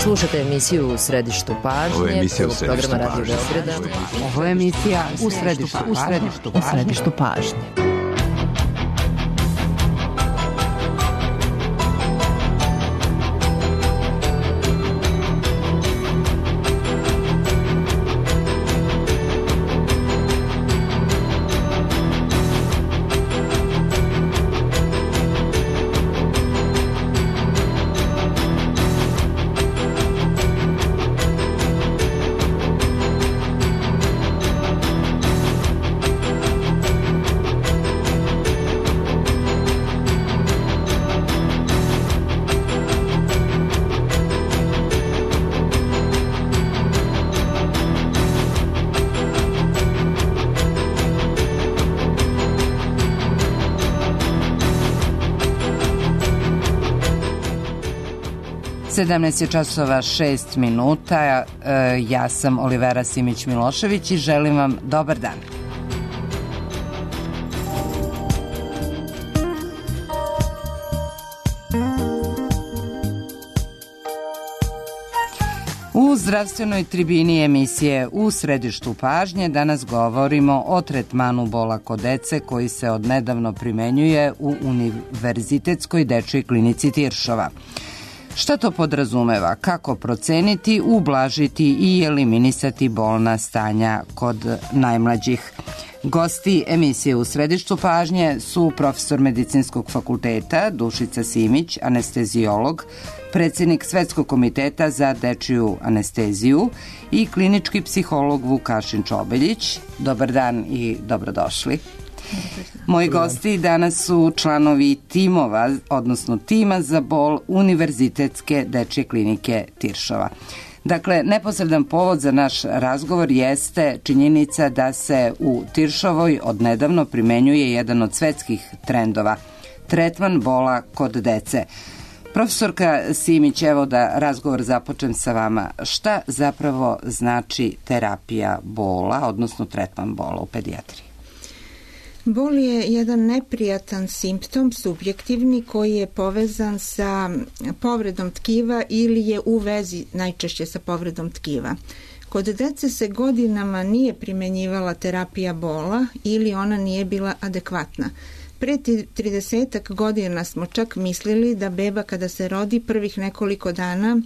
Slušate emisiju U središtu pažnje. Ovo je emisija U središtu programa Radio Beograda. Ovo je emisija U središtu pažnje. Je časova 6 minuta. Ja sam Olivera Simić-Milošević i želim vam dobar dan. U zdravstvenoj tribini emisije U središtu pažnje danas govorimo o tretmanu bola kod dece koji se odnedavno primenjuje u Univerzitetskoj dečjoj klinici Tiršova. Šta to podrazumeva? Kako proceniti, ublažiti i eliminisati bolna stanja kod najmlađih? Gosti emisije U središtu pažnje su profesor Medicinskog fakulteta Dušica Simić, anestezijolog, predsjednik Svetskog komiteta za dečiju anesteziju i klinički psiholog Vukašin Čobeljić. Dobar dan i dobrodošli. Moji gosti danas su članovi timova, odnosno tima za bol Univerzitetske dečje klinike Tiršova. Dakle, neposredan povod za naš razgovor jeste činjenica da se u Tiršovoj odnedavno primenjuje jedan od svetskih trendova, tretman bola kod dece. Profesorka Simić, evo da razgovor započnem sa vama. Šta zapravo znači terapija bola, odnosno tretman bola u pedijatriji? Bol je jedan neprijatan simptom, subjektivni, koji je povezan sa povredom tkiva ili je u vezi najčešće sa povredom tkiva. Kod dece se godinama nije primenjivala terapija bola ili ona nije bila adekvatna. Pre 30 godina smo čak mislili da beba kada se rodi prvih nekoliko dana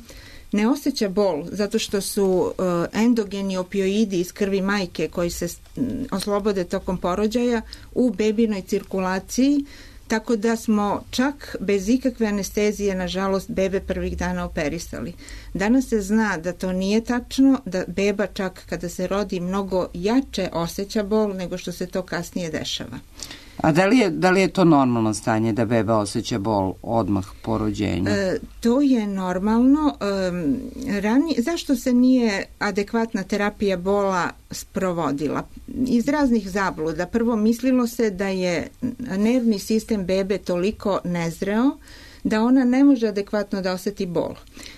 ne osjeća bol zato što su endogeni opioidi iz krvi majke koji se oslobode tokom porođaja u bebinoj cirkulaciji, tako da smo čak bez ikakve anestezije, nažalost, bebe prvih dana operisali. Danas se zna da to nije tačno, da beba čak kada se rodi mnogo jače osjeća bol nego što se to kasnije dešava. A da li je to normalno stanje da beba osjeća bol odmah po rođenju? To je normalno. Zašto se nije adekvatna terapija bola sprovodila? Iz raznih zabluda. Prvo, mislilo se da je nervni sistem bebe toliko nezreo da ona ne može adekvatno da osjeti bol.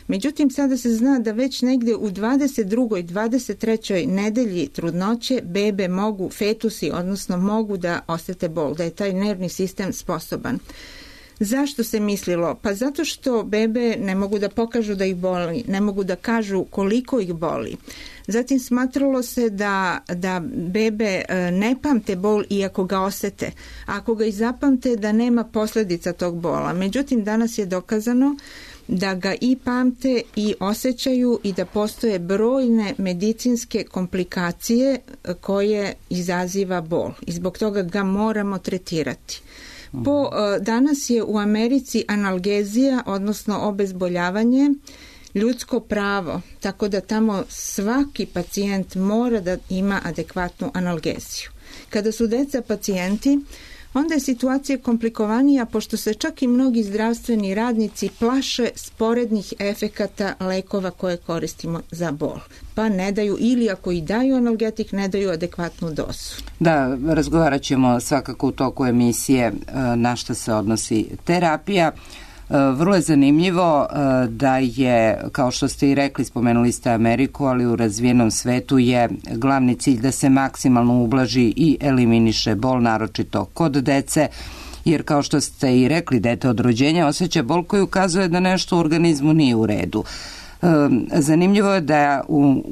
Međutim, sada se zna da već negdje u 22. i 23. nedelji trudnoće bebe mogu, fetusi, odnosno mogu da osjete bol, da je taj nervni sistem sposoban. Zašto se mislilo? Pa zato što bebe ne mogu da pokažu da ih boli, ne mogu da kažu koliko ih boli. Zatim smatralo se da bebe ne pamte bol iako ga osete. Ako ga i zapamte, da nema posljedica tog bola. Međutim, danas je dokazano da ga i pamte i osjećaju i da postoje brojne medicinske komplikacije koje izaziva bol. I zbog toga ga moramo tretirati. Danas je u Americi analgezija, odnosno obezboljavanje, ljudsko pravo, tako da tamo svaki pacijent mora da ima adekvatnu analgeziju. Kada su deca pacijenti, onda je situacija komplikovanija, pošto se čak i mnogi zdravstveni radnici plaše sporednih efekata lekova koje koristimo za bol. Pa ne daju, ili ako i daju analgetik, ne daju adekvatnu dozu. Da, razgovarat ćemo svakako u toku emisije na šta se odnosi terapija. Vrlo je zanimljivo da je, kao što ste i rekli, spomenuli ste Ameriku, ali u razvijenom svetu je glavni cilj da se maksimalno ublaži i eliminiše bol, naročito kod dece, jer kao što ste i rekli, dete od rođenja osjeća bol koji ukazuje da nešto u organizmu nije u redu. Zanimljivo je da u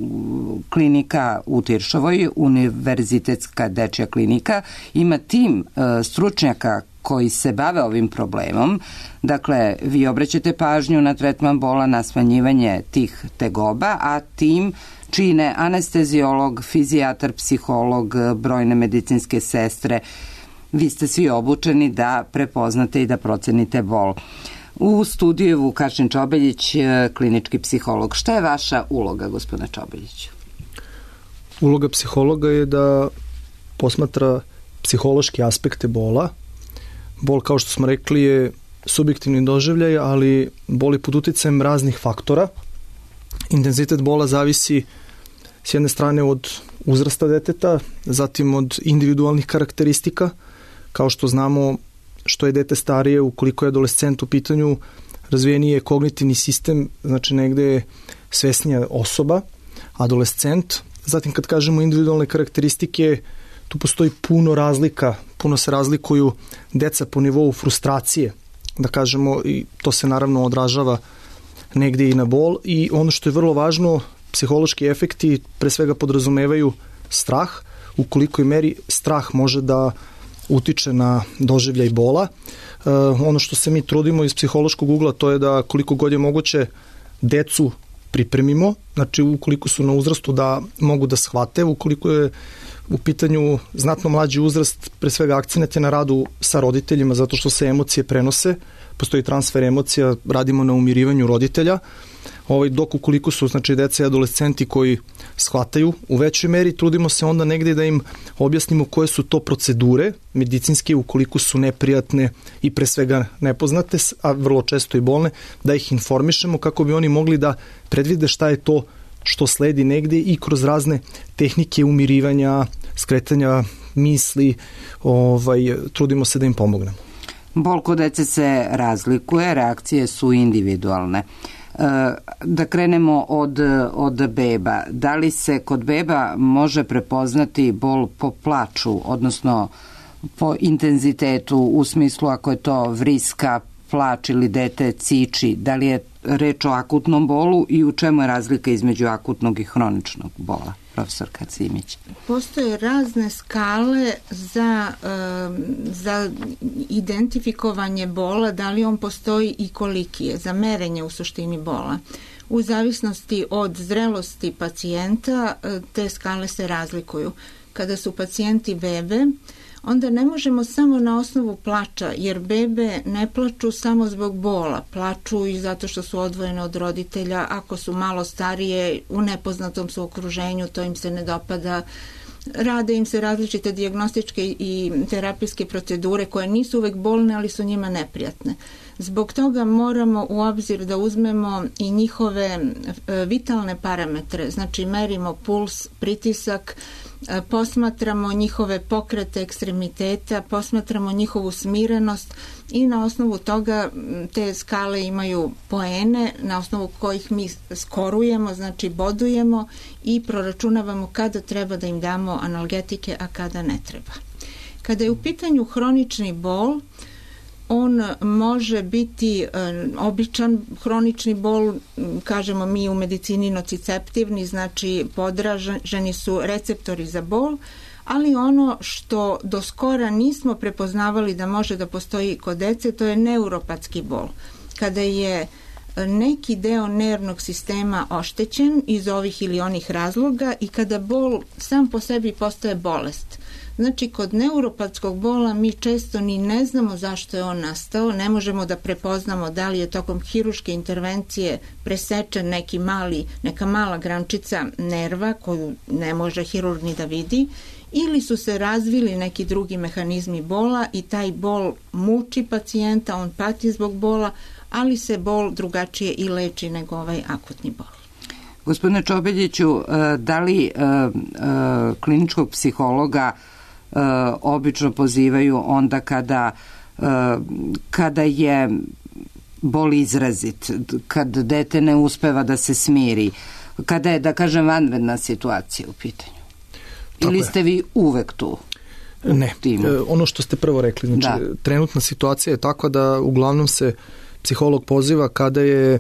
klinika u Tiršovoj, Univerzitetska dečja klinika, ima tim stručnjaka koji se bave ovim problemom. Dakle, vi obraćate pažnju na tretman bola, na smanjivanje tih tegoba, a tim čine anesteziolog, fizijatar, psiholog, brojne medicinske sestre. Vi ste svi obučeni da prepoznate i da procenite bol. U studiju je Vukašin Čobeljić, klinički psiholog. Šta je vaša uloga, gospodine Čobeljiću? Uloga psihologa je da posmatra psihološke aspekte bola. Bol, kao što smo rekli, je subjektivni doživljaj, ali bol je pod uticajem raznih faktora. Intenzitet bola zavisi s jedne strane od uzrasta deteta, zatim od individualnih karakteristika. Kao što znamo, što je dete starije, ukoliko je adolescent u pitanju, razvijeniji je kognitivni sistem, znači negde je svesnija osoba, adolescent. Zatim kad kažemo individualne karakteristike, tu postoji puno razlika, puno se razlikuju deca po nivou frustracije, da kažemo, i to se naravno odražava negde i na bol. I ono što je vrlo važno, psihološki efekti pre svega podrazumevaju strah, u kolikoj meri strah može da utiče na doživljaj bola. Ono što se mi trudimo iz psihološkog ugla, to je da koliko god je moguće decu pripremimo, znači ukoliko su na uzrastu da mogu da shvate, ukoliko je u pitanju znatno mlađi uzrast, pre svega akcenat je na radu sa roditeljima, zato što se emocije prenose, postoji transfer emocija, radimo na umirivanju roditelja, dok ukoliko su, znači, deca i adolescenti koji shvataju u većoj meri, trudimo se onda negde da im objasnimo koje su to procedure medicinske, ukoliko su neprijatne i pre svega nepoznate, a vrlo često i bolne, da ih informišemo kako bi oni mogli da predvide šta je to što sledi negde i kroz razne tehnike umirivanja, skretanja misli, trudimo se da im pomognemo. Bol kod dece se razlikuje, reakcije su individualne. Da krenemo od beba. Da li se kod beba može prepoznati bol po plaču, odnosno po intenzitetu, u smislu ako je to vriska, plač ili dete ciči, da li je reč o akutnom bolu i u čemu je razlika između akutnog i hroničnog bola, profesor Kacimić? Postoje razne skale za identifikovanje bola, da li on postoji i koliki je, za merenje u suštini bola. U zavisnosti od zrelosti pacijenta te skale se razlikuju. Kada su pacijenti bebe, onda ne možemo samo na osnovu plača, jer bebe ne plaču samo zbog bola, plaču i zato što su odvojene od roditelja, ako su malo starije, u nepoznatom su okruženju, to im se ne dopada, rade im se različite dijagnostičke i terapijske procedure koje nisu uvek bolne, ali su njima neprijatne. Zbog toga moramo u obzir da uzmemo i njihove vitalne parametre, znači merimo puls, pritisak, posmatramo njihove pokrete ekstremiteta, posmatramo njihovu smirenost i na osnovu toga te skale imaju poene na osnovu kojih mi skorujemo, znači bodujemo i proračunavamo kada treba da im damo analgetike, a kada ne treba. Kada je u pitanju hronični bol, on može biti običan hronični bol, kažemo mi u medicini nociceptivni, znači podraženi su receptori za bol, ali ono što do skora nismo prepoznavali da može da postoji kod dece, to je neuropatski bol. Kada je neki deo nervnog sistema oštećen iz ovih ili onih razloga i kada bol sam po sebi postaje bolest. Znači, kod neuropatskog bola mi često ni ne znamo zašto je on nastao, ne možemo da prepoznamo da li je tokom hiruške intervencije presečen neka mala grančica nerva koju ne može hirurg ni da vidi, ili su se razvili neki drugi mehanizmi bola i taj bol muči pacijenta, on pati zbog bola, ali se bol drugačije i leči nego ovaj akutni bol. Gospodine Čobeljiću, da li kliničkog psihologa obično pozivaju onda kada je bol izrazit, kad dete ne uspeva da se smiri, kada je, da kažem, vanredna situacija u pitanju? Ili ste vi uvek tu? Ne, ono što ste prvo rekli, znači trenutna situacija je takva da uglavnom se psiholog poziva kada je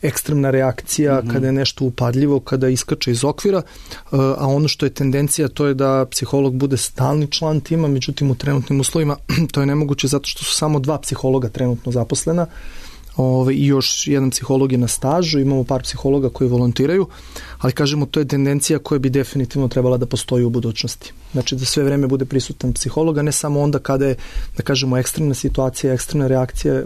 ekstremna reakcija, kada je nešto upadljivo, kada iskače iz okvira, a ono što je tendencija to je da psiholog bude stalni član tima, međutim u trenutnim uslovima to je nemoguće zato što su samo 2 psihologa trenutno zaposlena i još jedan psiholog je na stažu, imamo par psihologa koji volontiraju, ali kažemo to je tendencija koja bi definitivno trebala da postoji u budućnosti. Znači da sve vreme bude prisutan psihologa, ne samo onda kada je, da kažemo, ekstremna situacija, ekstremna reakcija.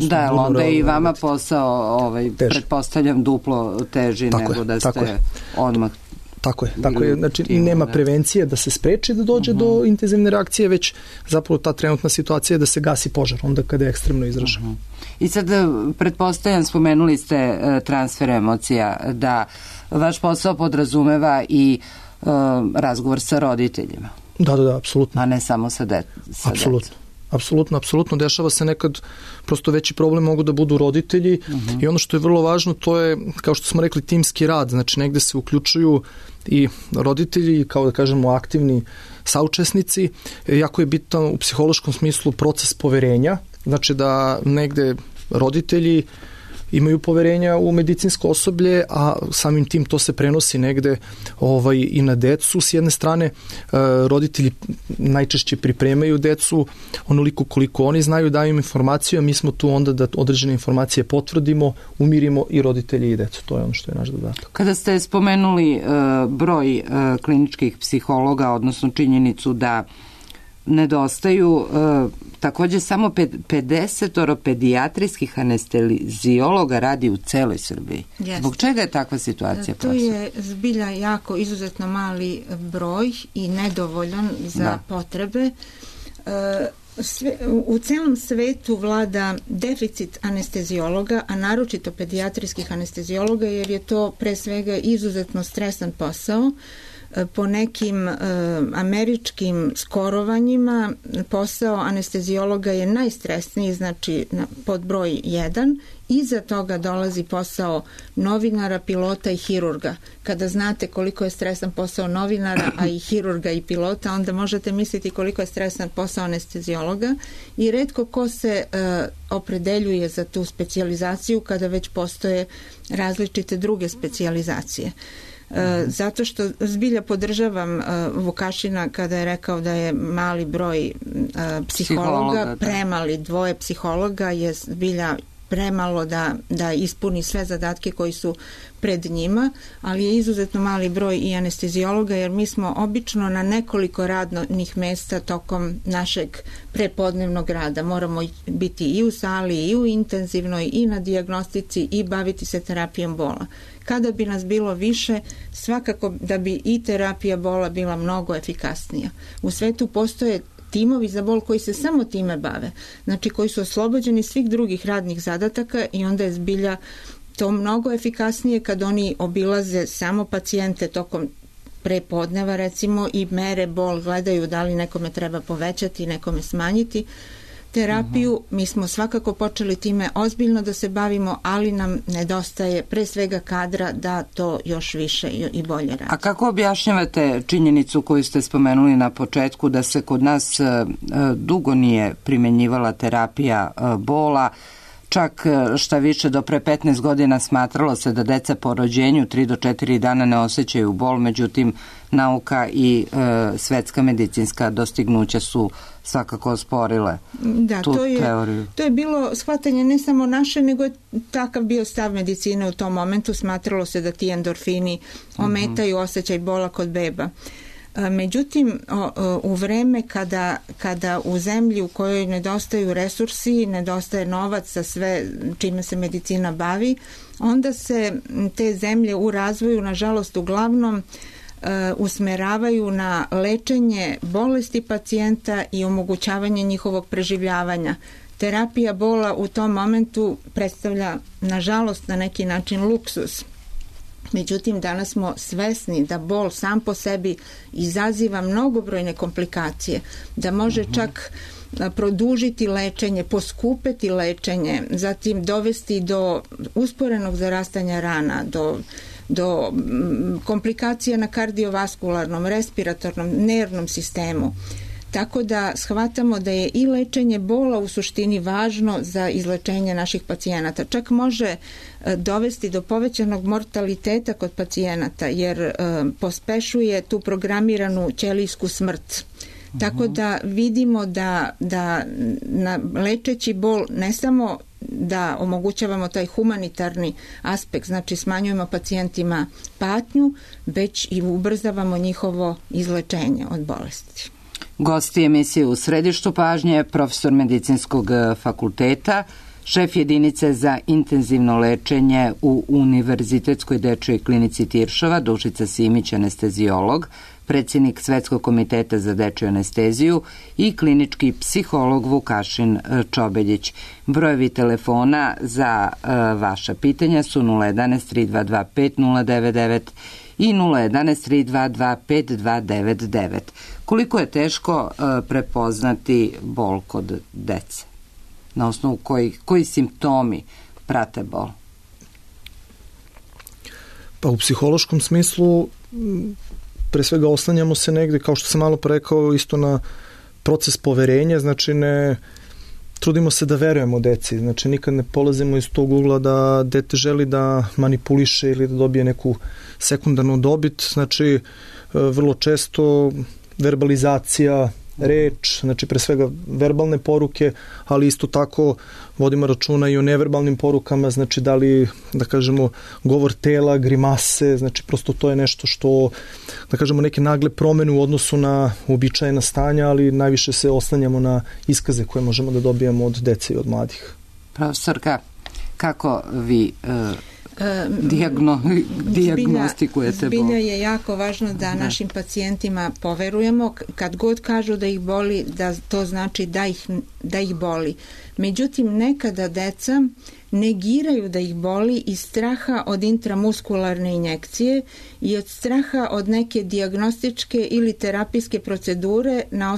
Da, onda je i vama posao, pretpostavljam, duplo teži nego da ste odmah. Tako je. Znači i nema prevencije da se spreči da dođe do intenzivne reakcije, već zapravo ta trenutna situacija je da se gasi požar, onda kada je ekstremno izražen. I sad, pretpostavljam, spomenuli ste transfer emocija, da vaš posao podrazumeva i razgovor sa roditeljima. Da, apsolutno. A ne samo sa decom. Apsolutno. Dešava se nekad, prosto veći problem mogu da budu roditelji i ono što je vrlo važno to je, kao što smo rekli, timski rad. Znači negde se uključuju i roditelji, kao da kažemo aktivni saučesnici. Jako je bitan u psihološkom smislu proces poverenja. Znači da negde roditelji imaju poverenja u medicinsko osoblje, a samim tim to se prenosi negde i na decu. S jedne strane, roditelji najčešće pripremaju decu onoliko koliko oni znaju, daju im informaciju, a mi smo tu onda da određene informacije potvrdimo, umirimo i roditelji i decu. To je ono što je naš zadatak. Kada ste spomenuli broj kliničkih psihologa, odnosno činjenicu da nedostaju takođe samo 50 pedijatrijskih anesteziologa radi u celoj Srbiji. Yes. Zbog čega je takva situacija? To je zbilja jako izuzetno mali broj i nedovoljan za potrebe. U celom svetu vlada deficit anesteziologa, a naročito pedijatrijskih anesteziologa, jer je to pre svega izuzetno stresan posao. Po nekim američkim skorovanjima posao anesteziologa je najstresniji, znači pod broj 1. Iza toga dolazi posao novinara, pilota i hirurga. Kada znate koliko je stresan posao novinara, a i hirurga i pilota, onda možete misliti koliko je stresan posao anesteziologa i retko ko se opredeljuje za tu specijalizaciju kada već postoje različite druge specijalizacije. Zato što zbilja podržavam Vukašina kada je rekao da je mali broj psihologa, premali, 2 psihologa je zbilja premalo da ispuni sve zadatke koji su pred njima, ali je izuzetno mali broj i anesteziologa, jer mi smo obično na nekoliko radnih mesta tokom našeg prepodnevnog rada. Moramo biti i u sali, i u intenzivnoj, i na dijagnostici, i baviti se terapijom bola. Kada bi nas bilo više, svakako da bi i terapija bola bila mnogo efikasnija. U svetu postoje timovi za bol koji se samo time bave, znači koji su oslobođeni svih drugih radnih zadataka i onda je zbilja to mnogo efikasnije kad oni obilaze samo pacijente tokom prepodneva recimo i mere bol, gledaju da li nekome treba povećati, nekome smanjiti terapiju. Mi smo svakako počeli time ozbiljno da se bavimo, ali nam nedostaje pre svega kadra da to još više i bolje radi. A kako objašnjavate činjenicu koju ste spomenuli na početku da se kod nas dugo nije primenjivala terapija bola, čak šta više do pre 15 godina smatralo se da deca po rođenju 3 do 4 dana ne osjećaju bol, međutim nauka i svetska medicinska dostignuća su svakako osporile tu teoriju. To je bilo shvatanje ne samo naše, nego je takav bio stav medicine u tom momentu. Smatralo se da ti endorfini ometaju osjećaj bola kod beba. Međutim, u vreme kada u zemlji u kojoj nedostaju resursi, nedostaje novac za sve čime se medicina bavi, onda se te zemlje u razvoju, nažalost, uglavnom usmeravaju na lečenje bolesti pacijenta i omogućavanje njihovog preživljavanja. Terapija bola u tom momentu predstavlja, nažalost, na neki način luksus. Međutim, danas smo svesni da bol sam po sebi izaziva mnogobrojne komplikacije, da može čak produžiti lečenje, poskupeti lečenje, zatim dovesti do usporenog zarastanja rana, do komplikacija na kardiovaskularnom, respiratornom, nervnom sistemu. Tako da shvatamo da je i lečenje bola u suštini važno za izlečenje naših pacijenata. Čak može dovesti do povećanog mortaliteta kod pacijenata jer pospešuje tu programiranu ćelijsku smrt. Tako da vidimo da lečeći bol ne samo da omogućavamo taj humanitarni aspekt, znači smanjujemo pacijentima patnju, već i ubrzavamo njihovo izlečenje od bolesti. Gosti emisije U središtu pažnje je profesor Medicinskog fakulteta, šef jedinice za intenzivno lečenje u Univerzitetskoj dečijoj klinici Tiršova, Dušica Simić, anestezijolog, predsjednik Svetskog komiteta za dečiju anesteziju i klinički psiholog Vukašin Čobeljić. Brojevi telefona za vaša pitanja su 011 322 5099 i 011 322 5299. Koliko je teško prepoznati bol kod dece? Na osnovu koji simptomi prate bol? Pa u psihološkom smislu pre svega oslanjamo se negde, kao što sam malo rekao, isto na proces poverenja, znači ne trudimo se da verujemo deci, znači nikad ne polazimo iz tog ugla da dete želi da manipuliše ili da dobije neku sekundarnu dobit, znači vrlo često verbalizacija, reč, znači pre svega verbalne poruke, ali isto tako vodimo računa i o neverbalnim porukama, znači da li, da kažemo, govor tela, grimase, znači prosto to je nešto što, da kažemo, neke nagle promene u odnosu na uobičajena stanja, ali najviše se oslanjamo na iskaze koje možemo da dobijemo od dece i od mladih. Profesorka, kako vi dijagnostikujete bol? Zbilja je jako važno da našim pacijentima poverujemo. Kad god kažu da ih boli, da to znači da ih boli. Međutim, nekada deca negiraju da ih boli iz straha od intramuskularne injekcije i od straha od neke dijagnostičke ili terapijske procedure na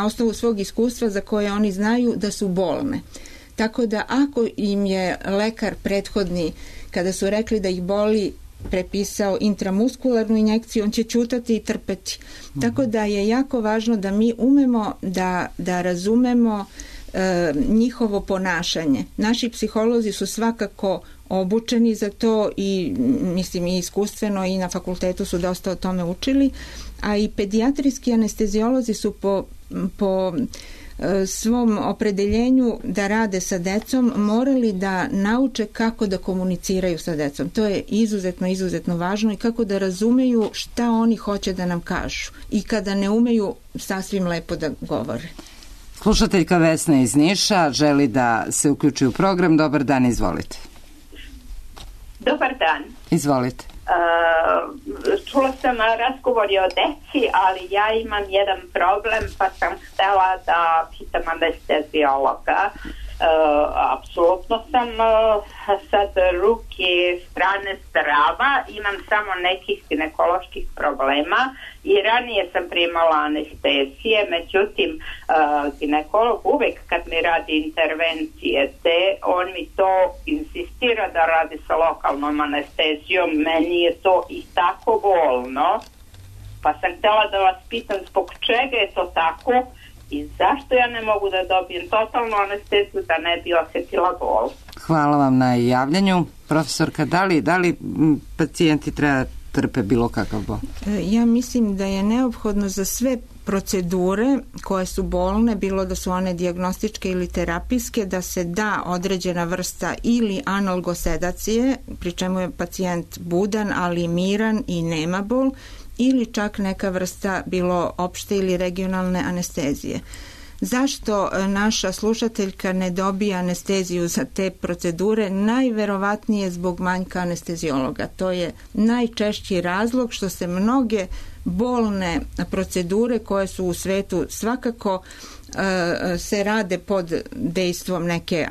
osnovu svog iskustva za koje oni znaju da su bolne. Tako da ako im je lekar prethodni, kada su rekli da ih boli, prepisao intramuskularnu injekciju, on će ćutati i trpeti. Tako da je jako važno da mi umemo da razumemo njihovo ponašanje. Naši psiholozi su svakako obučeni za to i mislim i iskustveno i na fakultetu su dosta o tome učili, a i pedijatrijski anestezijolozi su po svom opredeljenju da rade sa decom morali da nauče kako da komuniciraju sa decom. To je izuzetno važno i kako da razumeju šta oni hoće da nam kažu i kada ne umeju sasvim lepo da govore. Slušateljka Vesna iz Niša želi da se uključi u program. Dobar dan, izvolite. Dobar dan. Izvolite. Čula sam razgovor o deci, ali ja imam jedan problem, pa sam htela da pitam anestezijologa. Apsolutno sam sad ruke strane zdrava, imam samo nekih ginekoloških problema i ranije sam primala anestezije, međutim ginekolog uvek kad mi radi intervencije on mi to insistira da radi sa lokalnom anestezijom, meni je to i tako bolno, pa sam htjela da vas pitam zbog čega je to tako i zašto ja ne mogu da dobijem totalnu anesteziju da ne bi osjetila bol. Hvala vam na javljanju. Profesorka, da li pacijenti treba trpe bilo kakav bol? Ja mislim da je neophodno za sve procedure koje su bolne, bilo da su one dijagnostičke ili terapijske, da se da određena vrsta ili analgosedacije, pri čemu je pacijent budan, ali miran i nema bol, ili čak neka vrsta bilo opšte ili regionalne anestezije. Zašto naša slušateljka ne dobija anesteziju za te procedure? Najverovatnije zbog manjka anestezijologa. To je najčešći razlog što se mnoge bolne procedure koje su u svetu svakako se rade pod dejstvom neke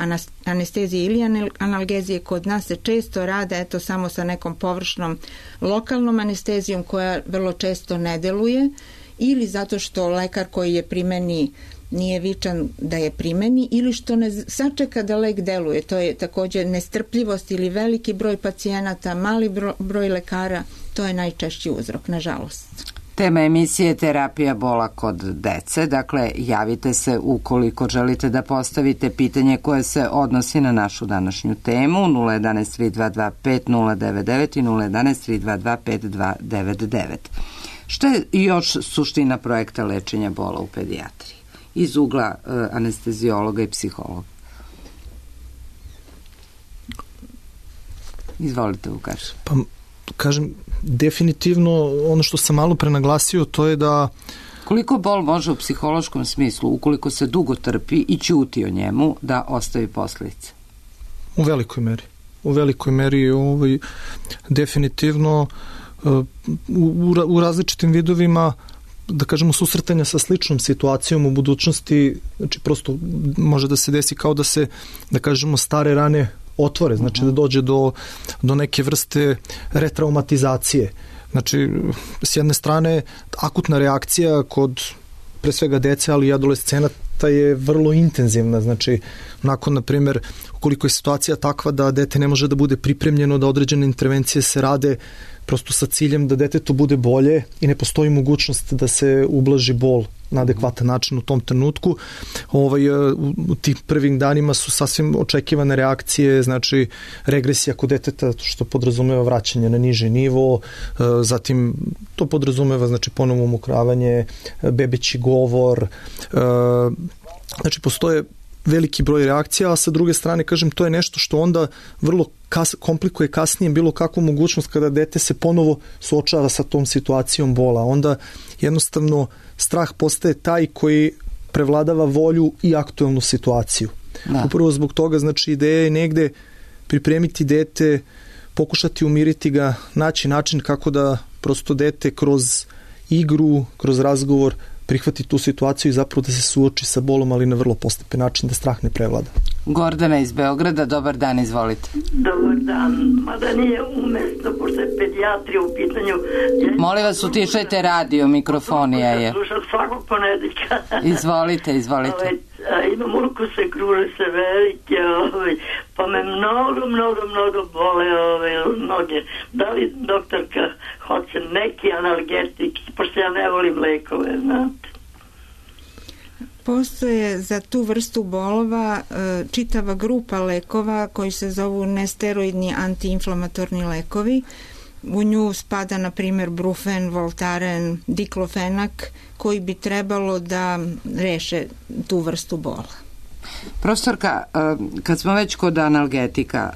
anestezije ili analgezije. Kod nas se često rade samo sa nekom površnom lokalnom anestezijom koja vrlo često ne deluje ili zato što lekar koji je primeni nije vičan da je primeni ili što ne sačeka da lek deluje. To je također nestrpljivost ili veliki broj pacijenata, mali broj lekara, to je najčešći uzrok, nažalost. Tema emisije Terapija bola kod dece, dakle javite se ukoliko želite da postavite pitanje koje se odnosi na našu današnju temu 011 322 5099 i 011 322 5299. Šta je još suština projekta lečenja bola u pedijatriji iz ugla anesteziologa i psihologa? Izvolite, Vukaš. Pa, kažem, definitivno ono što sam malo pre naglasio, to je da... Koliko bol može u psihološkom smislu, ukoliko se dugo trpi i ćuti o njemu, da ostavi posljedice? U velikoj meri. U velikoj meri definitivno u različitim vidovima, da kažemo, susretanja sa sličnom situacijom u budućnosti, znači prosto može da se desi kao da se, da kažemo, stare rane otvore, znači da dođe do neke vrste retraumatizacije. Znači, s jedne strane, akutna reakcija kod pre svega dece, ali i adolescenata je vrlo intenzivna. Znači, nakon, na primjer, ukoliko je situacija takva da dete ne može da bude pripremljeno, da određene intervencije se rade prosto sa ciljem da detetu bude bolje i ne postoji mogućnost da se ublaži bol na adekvatan način u tom trenutku. U tim prvim danima su sasvim očekivane reakcije, znači regresija kod deteta, što podrazumeva vraćanje na niži nivo, zatim to podrazumeva znači ponovno umokravanje, bebeći govor, znači postoje veliki broj reakcija, a sa druge strane, kažem, to je nešto što onda vrlo komplikuje kasnije bilo kakvu mogućnost kada dete se ponovo suočava sa tom situacijom bola. Onda jednostavno strah postaje taj koji prevladava volju i aktuelnu situaciju. Da. Upravo zbog toga, znači, ideja je negde pripremiti dete, pokušati umiriti ga, naći način kako da prosto dete kroz igru, kroz razgovor prihvati tu situaciju i zapravo da se suoči sa bolom, ali na vrlo postepen način, da strah ne prevlada. Gordana iz Beograda, dobar dan, izvolite. Dobar dan, mada nije umestno, pošto je pedijatrija u pitanju. Molim vas, utišajte radio, mikrofonija je. Slušam svakog ponedjeljka. Izvolite. Imam ukuse, kruže se velike, pa me mnogo bole noge. Da li doktorka hoće neki analgetik, pošto ja ne volim lekove, znate? Postoje za tu vrstu bolova čitava grupa lekova koji se zovu nesteroidni antiinflamatorni lekovi. U nju spada, na primjer, Brufen, Voltaren, Diklofenak, koji bi trebalo da reše tu vrstu bola. Profesorka, kad smo već kod analgetika,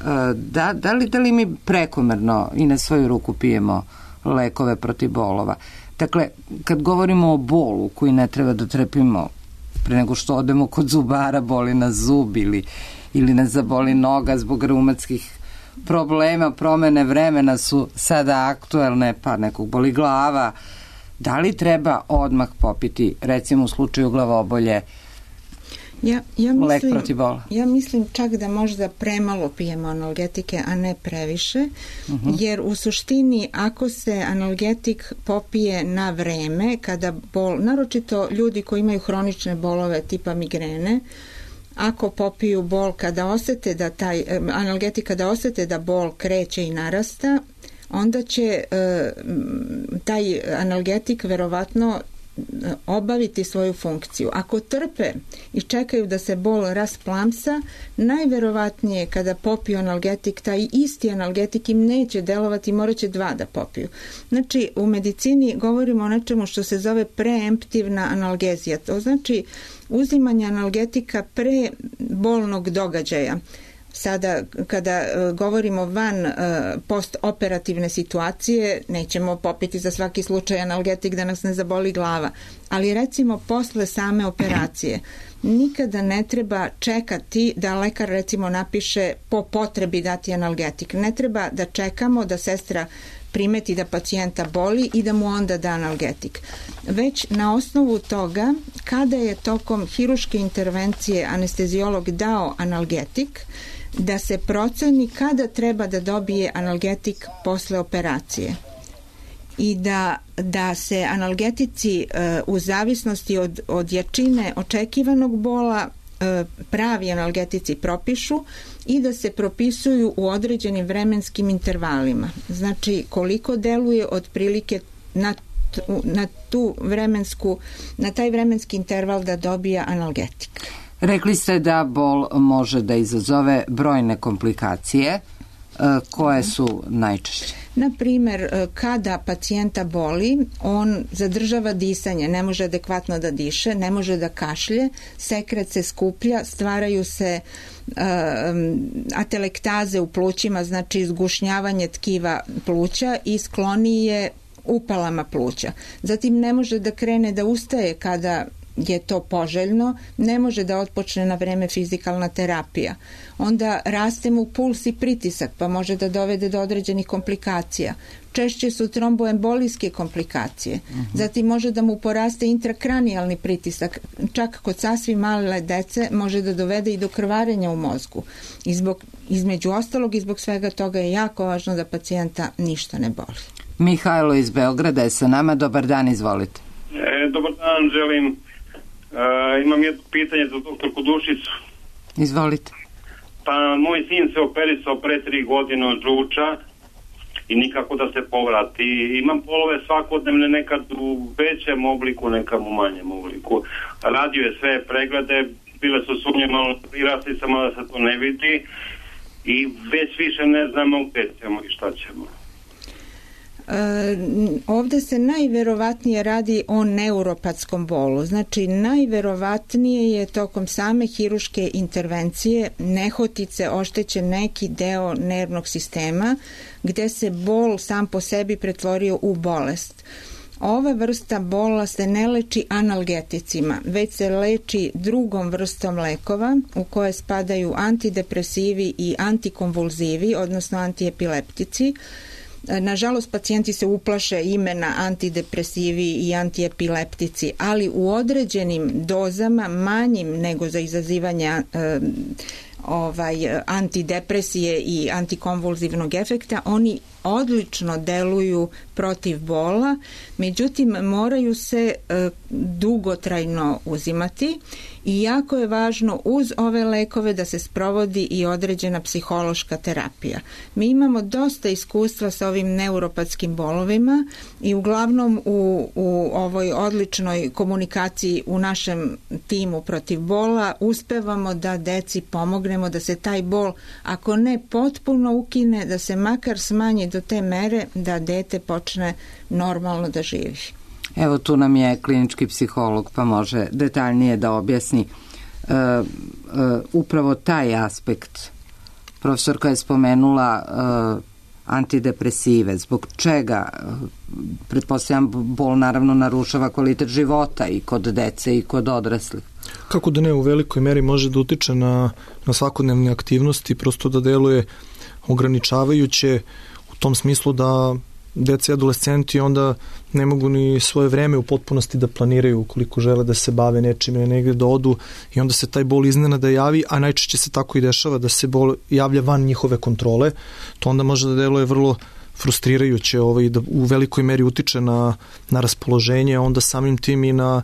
da li mi prekomerno i na svoju ruku pijemo lekove protiv bolova? Dakle, kad govorimo o bolu koji ne treba da trpimo pre nego što odemo kod zubara, boli nas zub ili nas zaboli noga zbog reumatskih problema, promene vremena su sada aktuelne, pa nekog boli glava, da li treba odmah popiti, recimo u slučaju glavobolje, lek protiv bola? Ja mislim čak da možda premalo pijemo analgetike, a ne previše, jer u suštini ako se analgetik popije na vreme, kada bol, naročito ljudi koji imaju hronične bolove tipa migrene, ako popiju bol kada osete da analgetik kada osete da bol kreće i narasta, onda će taj analgetik verovatno obaviti svoju funkciju. Ako trpe i čekaju da se bol rasplamsa, najverovatnije kada popiju analgetik, taj isti analgetik im neće delovati, morat će 2 da popiju. Znači, u medicini govorimo o nečemu što se zove preemptivna analgezija. To znači uzimanje analgetika pre bolnog događaja. Sada, kada govorimo van postoperativne situacije, nećemo popiti za svaki slučaj analgetik da nas ne zaboli glava. Ali recimo posle same operacije nikada ne treba čekati da lekar recimo napiše po potrebi dati analgetik. Ne treba da čekamo da sestra primeti da pacijenta boli i da mu onda da analgetik. Već na osnovu toga, kada je tokom hiruške intervencije anesteziolog dao analgetik, da se proceni kada treba da dobije analgetik posle operacije i da se analgetici u zavisnosti od jačine očekivanog bola pravi analgetici propišu i da se propisuju u određenim vremenskim intervalima. Znači koliko deluje otprilike na na taj vremenski interval da dobija analgetik. Rekli ste da bol može da izazove brojne komplikacije. Koje su najčešće? Na primer, kada pacijenta boli, on zadržava disanje, ne može adekvatno da diše, ne može da kašlje, sekret se skuplja, stvaraju se atelektaze u plućima, znači izgušnjavanje tkiva pluća i sklonije upalama pluća. Zatim ne može da krene da ustaje kada je to poželjno, ne može da otpočne na vreme fizikalna terapija. Onda raste mu puls i pritisak, pa može da dovede do određenih komplikacija. Češće su tromboembolijske komplikacije. Zatim može da mu poraste intrakranijalni pritisak. Čak kod sasvim male dece može da dovede i do krvarenja u mozgu. Između ostalog i zbog svega toga je jako važno da pacijenta ništa ne boli. Mihajlo iz Beograda je sa nama. Dobar dan, izvolite. Dobar dan, želim. Imam jedno pitanje za doktorku Dušicu. Izvolite. Pa moj sin se operisao pre 3 godine od žuča i nikako da se povrati. Imam bolove svakodnevne, nekad u većem obliku, nekad u manjem obliku. Radio je sve preglede, bile su sumnje malo prirasli, samo da se to ne vidi i već više ne znamo gde ćemo i šta ćemo. Ovde se najverovatnije radi o neuropatskom bolu. Znači, najverovatnije je tokom same hiruške intervencije nehotice oštećen neki deo nervnog sistema gde se bol sam po sebi pretvorio u bolest. Ova vrsta bola se ne leči analgeticima, već se leči drugom vrstom lekova u koje spadaju antidepresivi i antikonvulzivi, odnosno antiepileptici. Nažalost, pacijenti se uplaše imena antidepresivi i antiepileptici, ali u određenim dozama, manjim nego za izazivanje antidepresije i antikonvulzivnog efekta, oni odlično deluju protiv bola, međutim moraju se dugotrajno uzimati i jako je važno uz ove lekove da se sprovodi i određena psihološka terapija. Mi imamo dosta iskustva sa ovim neuropatskim bolovima i uglavnom u ovoj odličnoj komunikaciji u našem timu protiv bola uspevamo da deci pomognemo da se taj bol, ako ne potpuno ukine, da se makar smanji do te mere da dete počne normalno da živi. Evo, tu nam je klinički psiholog, pa može detaljnije da objasni upravo taj aspekt. Profesorka je spomenula antidepresive. Zbog čega? Pretpostavljam, bol naravno narušava kvalitet života i kod dece i kod odraslih. Kako da ne, u velikoj meri može da utiče na svakodnevne aktivnosti, prosto da deluje ograničavajuće u tom smislu da deca i adolescenti onda ne mogu ni svoje vreme u potpunosti da planiraju ukoliko žele da se bave nečim ili negde da odu i onda se taj bol iznenada javi, a najčešće se tako i dešava da se bol javlja van njihove kontrole. To onda može da deluje vrlo frustrirajuće i da u velikoj meri utiče na raspoloženje, onda samim tim i na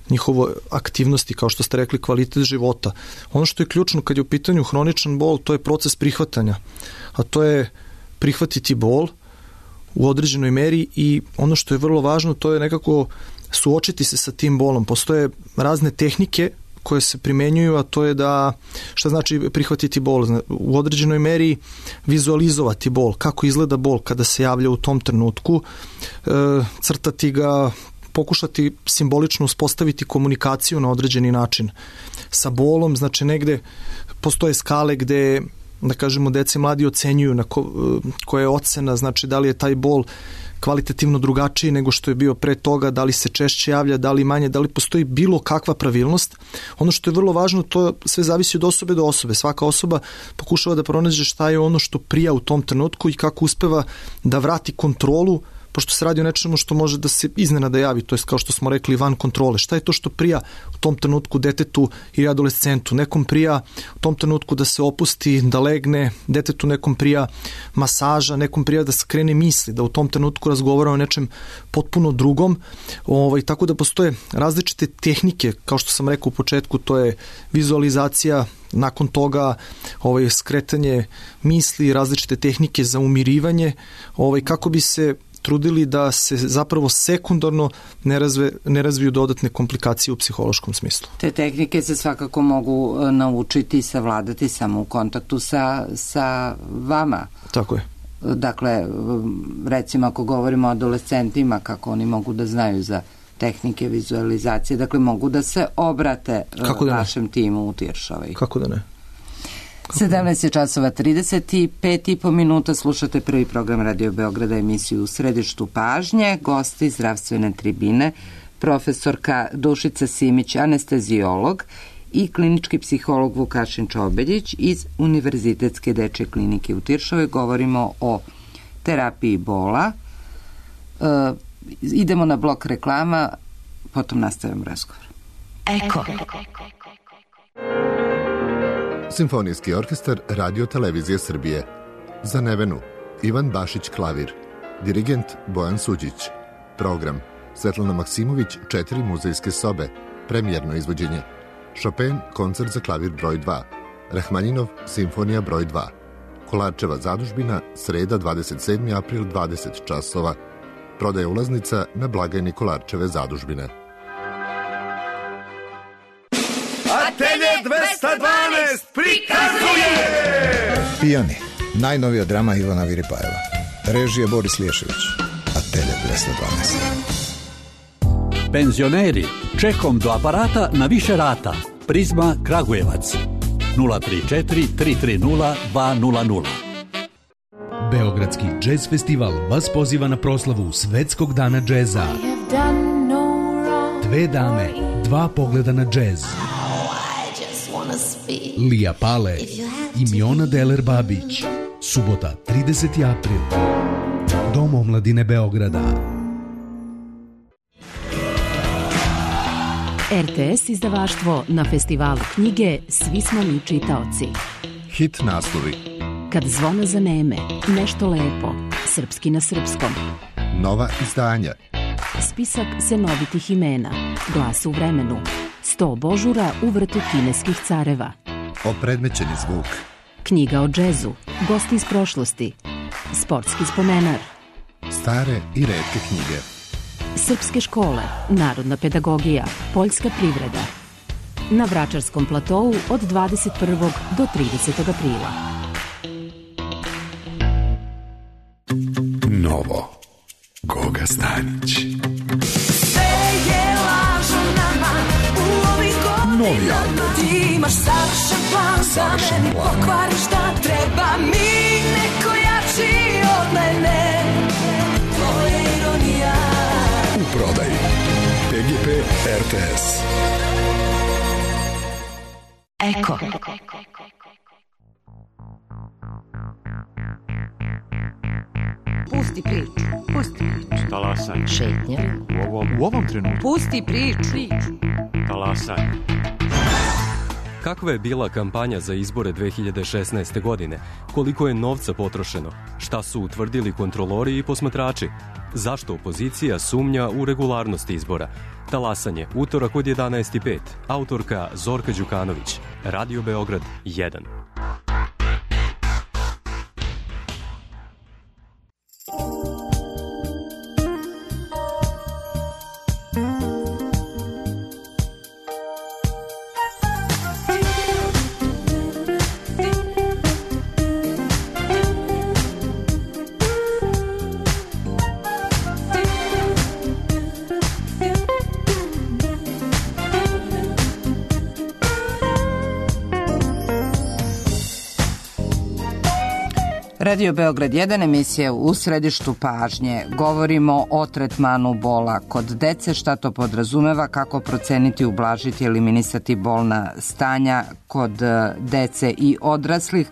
njihovo aktivnosti, kao što ste rekli, kvalitet života. Ono što je ključno kad je u pitanju hroničan bol, to je proces prihvatanja, a to je prihvatiti bol u određenoj meri i ono što je vrlo važno, to je nekako suočiti se sa tim bolom. Postoje razne tehnike koje se primenjuju, a to je da, šta znači prihvatiti bol? U određenoj meri vizualizovati bol, kako izgleda bol kada se javlja u tom trenutku, crtati ga, pokušati simbolično uspostaviti komunikaciju na određeni način sa bolom, znači negde postoje skale gde, da kažemo, deci mladi ocenjuju koja je ocena, znači da li je taj bol kvalitativno drugačiji nego što je bio pre toga, da li se češće javlja, da li manje, da li postoji bilo kakva pravilnost. Ono što je vrlo važno, to sve zavisi od osobe do osobe. Svaka osoba pokušava da pronađe šta je ono što prija u tom trenutku i kako uspeva da vrati kontrolu, pošto se radi o nečemu što može da se iznenada javi, to je kao što smo rekli van kontrole. Šta je to što prija u tom trenutku detetu ili adolescentu? Nekom prija u tom trenutku da se opusti, da legne, detetu nekom prija masaža, nekom prija da skrene misli, da u tom trenutku razgovara o nečem potpuno drugom. Tako da postoje različite tehnike, kao što sam rekao u početku, to je vizualizacija, nakon toga skretanje misli, različite tehnike za umirivanje, kako bi se trudili da se zapravo sekundarno ne razviju dodatne komplikacije u psihološkom smislu. Te tehnike se svakako mogu naučiti i savladati samo u kontaktu sa vama. Tako je. Dakle, recimo ako govorimo o adolescentima, kako oni mogu da znaju za tehnike vizualizacije, dakle mogu da se obrate vašem timu u Tiršovoj. Kako da ne? 17 časova 35,5 minuta, slušate prvi program Radio Beograda, emisiju U središtu pažnje, gosti zdravstvene tribine, profesorka Dušica Simić, anestezijolog, i klinički psiholog Vukašin Čobeljić iz Univerzitetske dečje klinike u Tiršovoj. Govorimo o terapiji bola. Idemo na blok reklama, potom nastavimo razgovor. Eko. Simfonijski orkestar Radio Televizije Srbije. Za Nevenu Ivan Bašić klavir. Dirigent Bojan Suđić. Program Svetlana Maksimović 4 muzejske sobe. Premijerno izvođenje. Chopin koncert za klavir broj 2. Rahmaninov simfonija broj 2. Kolarčeva zadužbina, sreda 27. april 20 časova. Prodaje ulaznica na blagajni Kolarčeve zadužbine. Atelje 212 prikazuje Pijani, najnovija drama Ivana Viripajeva. Režije Boris Liješević. Atelje 212. Penzioneri, čekom do aparata na više rata. Prizma Kragujevac 034 330 200. Beogradski džez festival vas poziva na proslavu Svetskog dana džeza. 2 dame, 2 pogleda na džez. Lija Pale i Miona Deler Babić. Subota 30. april. Dom omladine Beograda. RTS izdavaštvo na festivalu knjige Svi smo mi čitaoci. Hit naslovi. Kad zvona zaneme, nešto lepo, srpski na srpskom. Nova izdanja. Spisak senovitih imena, Glas u vremenu, 100 božura u vrtu kineskih careva. Opredmećeni zvuk. Knjiga o džezu, gosti iz prošlosti, sportski spomenar. Stare i retke knjige. Srpske škole, narodna pedagogija, poljska privreda. Na Vračarskom platovu od 21. do 30. aprila. Novo Goga Stanić. Sve je lažo nama u ovih godina. Novi album. Ti imaš savršen plan za meni, pokvariš da treba mi neko jači od mene. To je ironija. U prodaji PGP RTS. Eko. Pusti priču. Talasanje. Šetnja. U ovom trenutku. Pusti priču. Talasanje. Kakva je bila kampanja za izbore 2016. godine? Koliko je novca potrošeno? Šta su utvrdili kontrolori i posmatrači? Zašto opozicija sumnja u regularnost izbora? Talasanje, utorak od 11:05. Autorka Zorka Đukanović. Radio Beograd 1. Radio Beograd 1, emisija U središtu pažnje. Govorimo o tretmanu bola kod dece, šta to podrazumeva, kako proceniti, ublažiti, eliminisati bolna stanja kod dece i odraslih.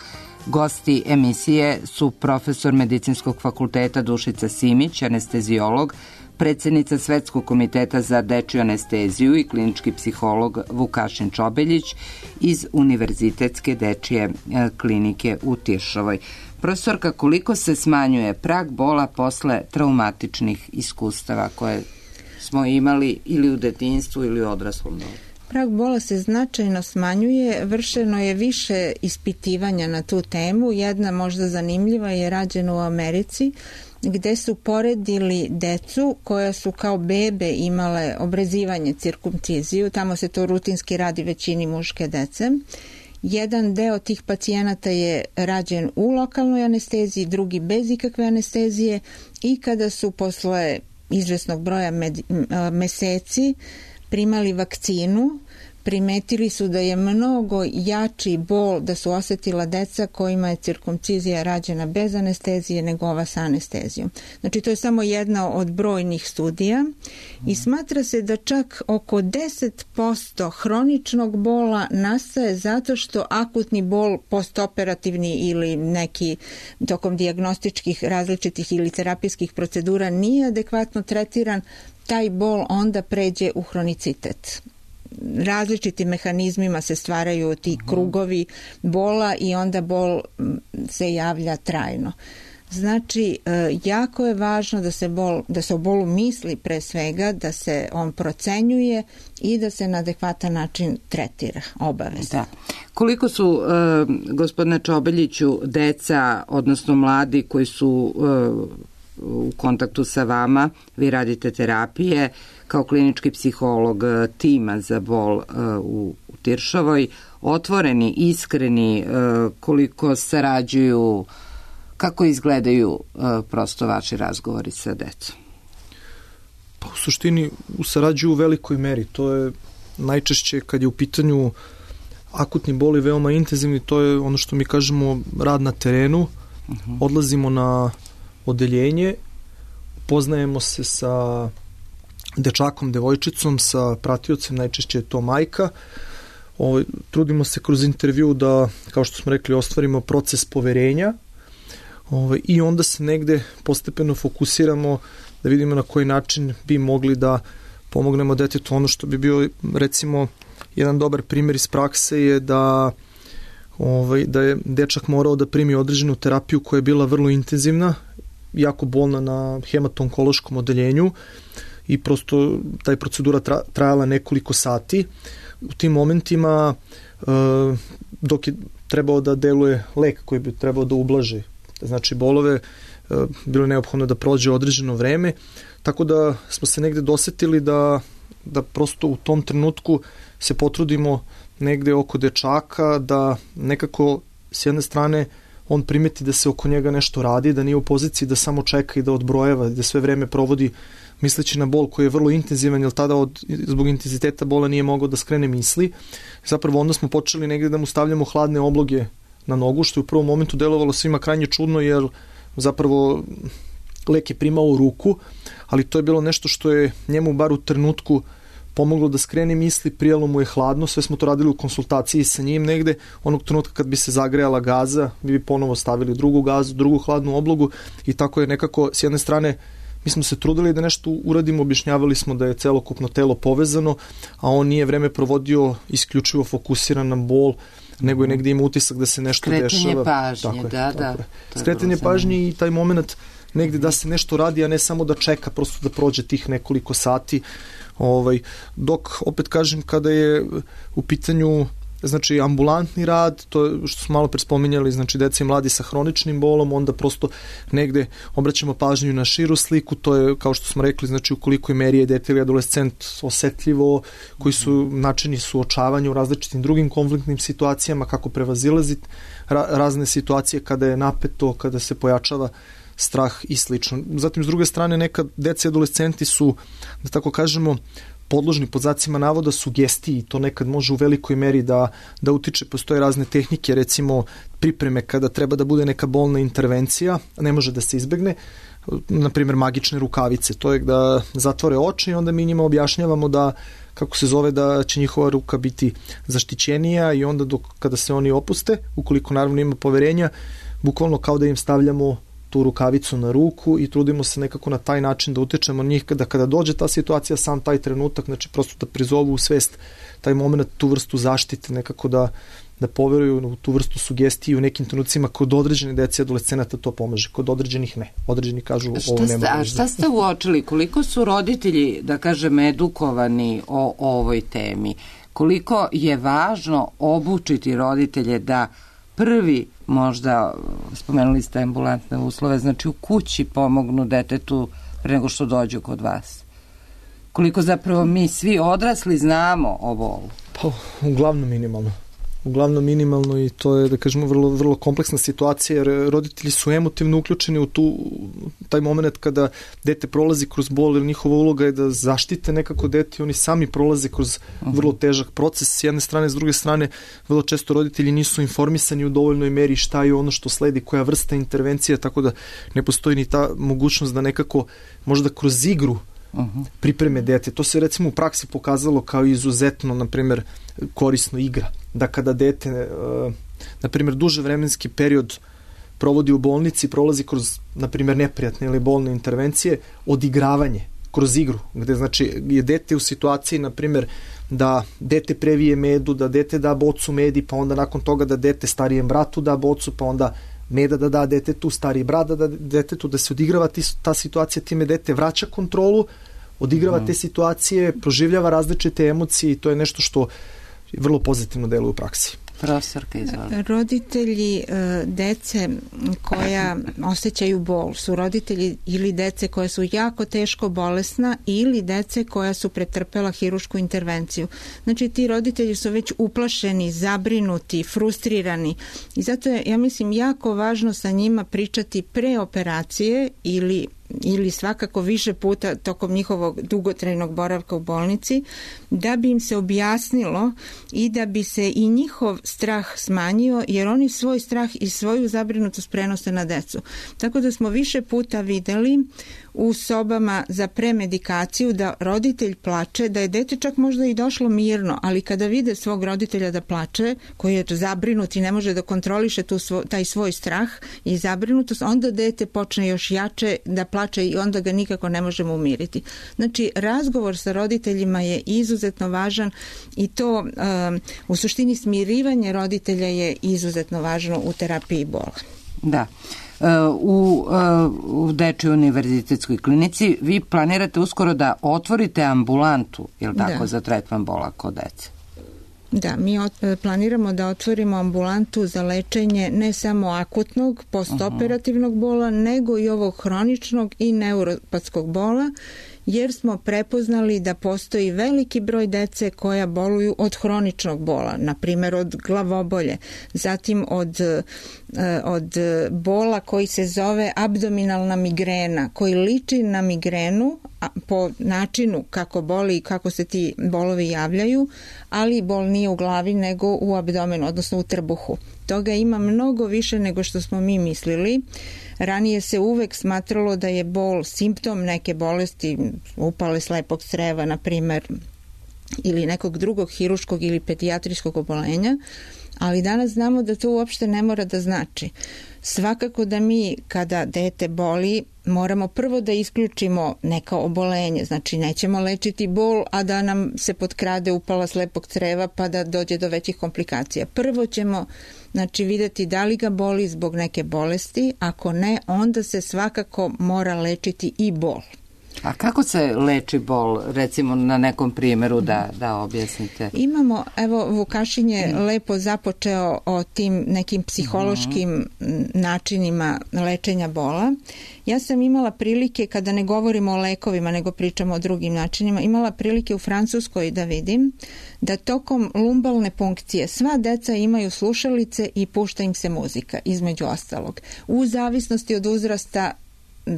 Gosti emisije su profesor Medicinskog fakulteta Dušica Simić, anestezijolog, predsjednica Svetskog komiteta za dečju anesteziju i klinički psiholog Vukašin Čobeljić iz Univerzitetske dečje klinike u Tiršovoj. Profesorka, koliko se smanjuje prag bola posle traumatičnih iskustava koje smo imali ili u detinjstvu ili u odraslom dobu? Prag bola se značajno smanjuje, vršeno je više ispitivanja na tu temu. Jedna možda zanimljiva je rađena u Americi gde su poredili decu koja su kao bebe imale obrezivanje, cirkumciziju, tamo se to rutinski radi većini muške dece. Jedan deo tih pacijenata je rađen u lokalnoj anesteziji, drugi bez ikakve anestezije i kada su posle izvesnog broja meseci primali vakcinu, primetili su da je mnogo jači bol da su osetila deca kojima je cirkumcizija rađena bez anestezije nego ova sa anestezijom. Znači to je samo jedna od brojnih studija i smatra se da čak oko 10% hroničnog bola nastaje zato što akutni bol postoperativni ili neki tokom dijagnostičkih različitih ili terapijskih procedura nije adekvatno tretiran, taj bol onda pređe u hronicitet. Različitim mehanizmima se stvaraju ti krugovi bola i onda bol se javlja trajno. Znači, jako je važno da se o bolu misli pre svega, da se on procenjuje i da se na adekvatan način tretira, obavezno. Da. Koliko su, gospodine Čobeljiću, deca, odnosno mladi koji su u kontaktu sa vama, vi radite terapije kao klinički psiholog tima za bol u Tiršovoj, otvoreni, iskreni, koliko sarađuju, kako izgledaju prosto vaši razgovori sa decom? Pa u suštini sarađuju u velikoj meri. To je najčešće kad je u pitanju akutni bol i veoma intenzivni, to je ono što mi kažemo rad na terenu. Odlazimo na odeljenje, poznajemo se sa dečakom, devojčicom, sa pratiocem, najčešće je to majka. Trudimo se kroz intervju da, kao što smo rekli, ostvarimo proces poverenja i onda se negde postepeno fokusiramo da vidimo na koji način bi mogli da pomognemo detetu. Ono što bi bio, recimo, jedan dobar primjer iz prakse je da je dečak morao da primi određenu terapiju koja je bila vrlo intenzivna, jako bolna na hematonkološkom odeljenju i prosto taj procedura trajala nekoliko sati. U tim momentima dok je trebao da deluje lek koji bi trebao da ublaži znači bolove, bilo je neophodno da prođe određeno vreme, tako da smo se negde dosetili da prosto u tom trenutku se potrudimo negde oko dečaka, da nekako s jedne strane on primeti da se oko njega nešto radi, da nije u poziciji da samo čeka i da odbrojeva, da sve vreme provodi misleći na bol koji je vrlo intenzivan, jer tada zbog intenziteta bola nije mogao da skrene misli. Zapravo onda smo počeli negde da mu stavljamo hladne obloge na nogu, što je u prvom momentu delovalo svima krajnje čudno, jer zapravo lek je primao u ruku, ali to je bilo nešto što je njemu bar u trenutku pomoglo da skrene misli, prijelo mu je hladno, sve smo to radili u konsultaciji sa njim negde, onog trenutka kad bi se zagrejala gaza, bi ponovo stavili drugu gazu, drugu hladnu oblogu i tako je nekako s jedne strane mi smo se trudili da nešto uradimo, objašnjavali smo da je celokupno telo povezano, a on nije vreme provodio isključivo fokusiran na bol, nego je negde ima utisak da se nešto dešava. Pažnje, da. Skretanje pažnje i taj moment negde da se nešto radi, a ne samo da čeka, prosto da prođe tih nekoliko sati. Dok, opet kažem, kada je u pitanju znači ambulantni rad, to je što smo malo pre spominjali, znači deca i mladi sa hroničnim bolom, onda prosto negde obraćamo pažnju na širu sliku, to je kao što smo rekli, znači u kolikoj meri je dete ili adolescent osetljivo, koji su načini suočavanja u različitim drugim konfliktnim situacijama, kako prevazilaziti razne situacije kada je napeto, kada se pojačava strah i slično. Zatim, s druge strane, nekad deca i adolescenti su, da tako kažemo, podložni pod znacima navoda sugestiji, to nekad može u velikoj meri da utiče, postoje razne tehnike, recimo pripreme kada treba da bude neka bolna intervencija, ne može da se izbegne, na primjer magične rukavice, to je da zatvore oči i onda mi njima objašnjavamo da, kako se zove, da će njihova ruka biti zaštićenija i onda kada se oni opuste, ukoliko naravno ima poverenja, bukvalno kao da im stavljamo tu rukavicu na ruku i trudimo se nekako na taj način da utičemo njih da kada dođe ta situacija, sam taj trenutak, znači prosto da prizovu u svest taj moment, tu vrstu zaštite, nekako da poveruju u tu vrstu sugestije u nekim trenucima. Kod određene dece i adolescenata to pomaže, kod određenih ne. Određeni kažu ovo nema. A šta ste uočili? Koliko su roditelji, da kažem, edukovani o ovoj temi? Koliko je važno obučiti roditelje da prvi možda, spomenuli ste ambulantne uslove, znači u kući pomognu detetu pre nego što dođu kod vas? Koliko zapravo mi svi odrasli znamo o bolu? Pa, uglavnom minimalno i to je, da kažemo, vrlo, vrlo kompleksna situacija, jer roditelji su emotivno uključeni u taj moment kada dete prolazi kroz bol, jer njihova uloga je da zaštite nekako dete, oni sami prolaze kroz vrlo težak proces s jedne strane, s druge strane vrlo često roditelji nisu informisani u dovoljnoj meri šta je ono što sledi, koja vrsta intervencija, tako da ne postoji ni ta mogućnost da nekako možda kroz igru pripreme dete. To se recimo u praksi pokazalo kao izuzetno, na primjer, korisno igra. Da kada dete, na primjer, duže vremenski period provodi u bolnici, prolazi kroz, na primjer, neprijatne ili bolne intervencije, odigravanje kroz igru, gde znači je dete u situaciji, na primjer, da dete previje medu, da dete da bocu medi, pa onda nakon toga da dete starijem bratu da bocu, pa onda meda da detetu, stariji brat da detetu, da se odigrava ta situacija, time dete vraća kontrolu, odigrava te situacije, proživljava različite emocije i to je nešto što vrlo pozitivno deluje u praksi. Profesorka, izvolite. Roditelji dece koja osjećaju bol su roditelji ili dece koja su jako teško bolesna ili dece koja su pretrpela hirušku intervenciju. Znači ti roditelji su već uplašeni, zabrinuti, frustrirani i zato je, ja mislim, jako važno sa njima pričati pre operacije ili svakako više puta tokom njihovog dugotrajnog boravka u bolnici, da bi im se objasnilo i da bi se i njihov strah smanjio, jer oni svoj strah i svoju zabrinutost prenose na decu. Tako da smo više puta videli u sobama za premedikaciju da roditelj plače, da je dete čak možda i došlo mirno, ali kada vide svog roditelja da plače, koji je zabrinut i ne može da kontroliše taj svoj strah i zabrinutost, onda dete počne još jače da plače i onda ga nikako ne možemo umiriti. Znači, razgovor sa roditeljima je izuzetno važan i to u suštini smirivanje roditelja je izuzetno važno u terapiji bola. Da. U Dečijoj univerzitetskoj klinici vi planirate uskoro da otvorite ambulantu, je li tako, za tretman bola kod dece? Da, mi planiramo da otvorimo ambulantu za lečenje ne samo akutnog, postoperativnog bola, nego i ovog hroničnog i neuropatskog bola, jer smo prepoznali da postoji veliki broj dece koja boluju od hroničnog bola, na primjer od glavobolje, zatim od bola koji se zove abdominalna migrena, koji liči na migrenu po načinu kako boli i kako se ti bolovi javljaju, ali bol nije u glavi nego u abdomenu, odnosno u trbuhu. Toga ima mnogo više nego što smo mi mislili. Ranije se uvek smatralo da je bol simptom neke bolesti, upale slepog creva, na primjer, ili nekog drugog hiruškog ili pedijatrijskog obolenja, ali danas znamo da to uopšte ne mora da znači. Svakako da mi, kada dete boli, moramo prvo da isključimo neka obolenje, znači nećemo lečiti bol, a da nam se potkrade upala slepog creva pa da dođe do većih komplikacija. Prvo ćemo vidjeti da li ga boli zbog neke bolesti, ako ne, onda se svakako mora lečiti i bol. A kako se leči bol, recimo na nekom primjeru da objasnite? Imamo, evo Vukašin je lepo započeo o tim nekim psihološkim načinima lečenja bola. Ja sam imala prilike, kada ne govorimo o lekovima, nego pričamo o drugim načinima, imala prilike u Francuskoj da vidim da tokom lumbalne punkcije sva deca imaju slušalice i pušta im se muzika, između ostalog. U zavisnosti od uzrasta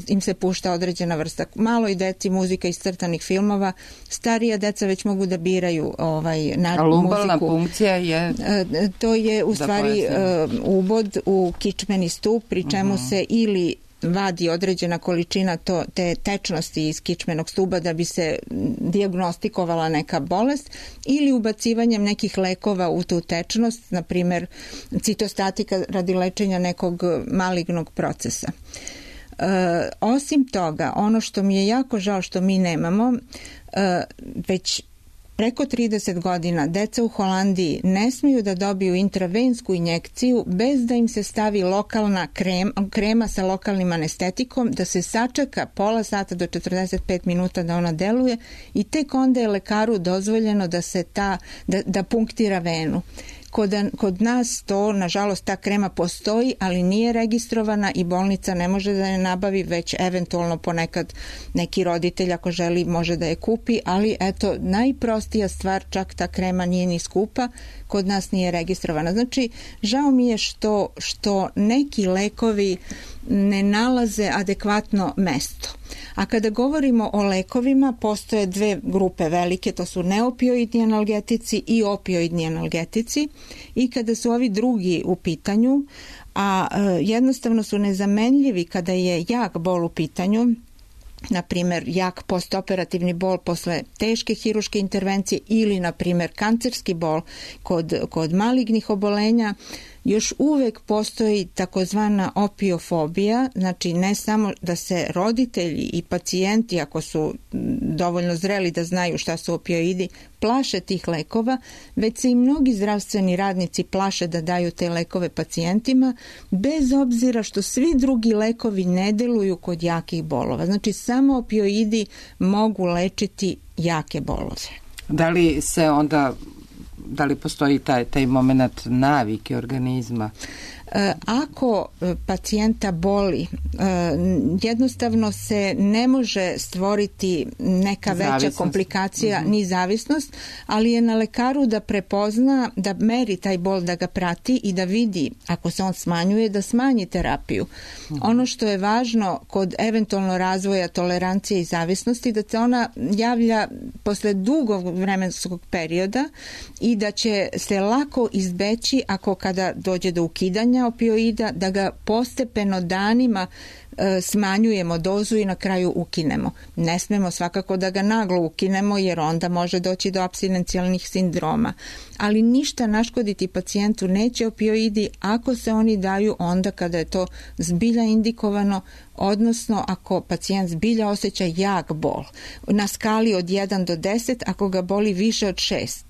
im se pušta određena vrsta. Maloj deci muzika iz crtanih filmova, starija deca već mogu da biraju muziku. A lumbalna punkcija je? To je u stvari ubod u kičmeni stup, pri čemu se ili vadi određena količina te tečnosti iz kičmenog stuba da bi se dijagnostikovala neka bolest, ili ubacivanjem nekih lekova u tu tečnost, na primjer citostatika radi lečenja nekog malignog procesa. Osim toga, ono što mi je jako žao što mi nemamo, već preko 30 godina deca u Holandiji ne smiju da dobiju intravensku injekciju bez da im se stavi lokalna krema sa lokalnim anestetikom, da se sačeka pola sata do 45 minuta da ona deluje i tek onda je lekaru dozvoljeno da punktira venu. Kod nas to, nažalost, ta krema postoji, ali nije registrovana i bolnica ne može da je nabavi, već eventualno ponekad neki roditelj ako želi može da je kupi, ali eto, najprostija stvar, čak ta krema nije ni skupa, kod nas nije registrovana. Znači, žao mi je što neki lekovi ne nalaze adekvatno mesto. A kada govorimo o lekovima, postoje dve grupe velike, to su neopioidni analgetici i opioidni analgetici, i kada su ovi drugi u pitanju, a jednostavno su nezamenljivi kada je jak bol u pitanju, na primjer jak postoperativni bol posle teške hiruške intervencije ili na primjer kancerski bol kod malignih obolenja, još uvek postoji takozvana opiofobija, znači ne samo da se roditelji i pacijenti, ako su dovoljno zreli da znaju šta su opioidi, plaše tih lekova, već se i mnogi zdravstveni radnici plaše da daju te lekove pacijentima, bez obzira što svi drugi lekovi ne deluju kod jakih bolova. Znači samo opioidi mogu lečiti jake bolove. Da li postoji taj moment navike organizma? Ako pacijenta boli, jednostavno se ne može stvoriti neka veća komplikacija ni zavisnost, ali je na lekaru da prepozna, da meri taj bol, da ga prati i da vidi ako se on smanjuje, da smanji terapiju. Ono što je važno kod eventualno razvoja tolerancije i zavisnosti, da se ona javlja posle dugog vremenskog perioda i da će se lako izbeći ako kada dođe do ukidanja opioida, da ga postepeno danima smanjujemo dozu i na kraju ukinemo. Ne smemo svakako da ga naglo ukinemo, jer onda može doći do apstinencijalnih sindroma. Ali ništa naškoditi pacijentu neće opioidi ako se oni daju onda kada je to zbilja indikovano, odnosno ako pacijent zbilja osjeća jak bol. Na skali od 1 do 10, ako ga boli više od 6.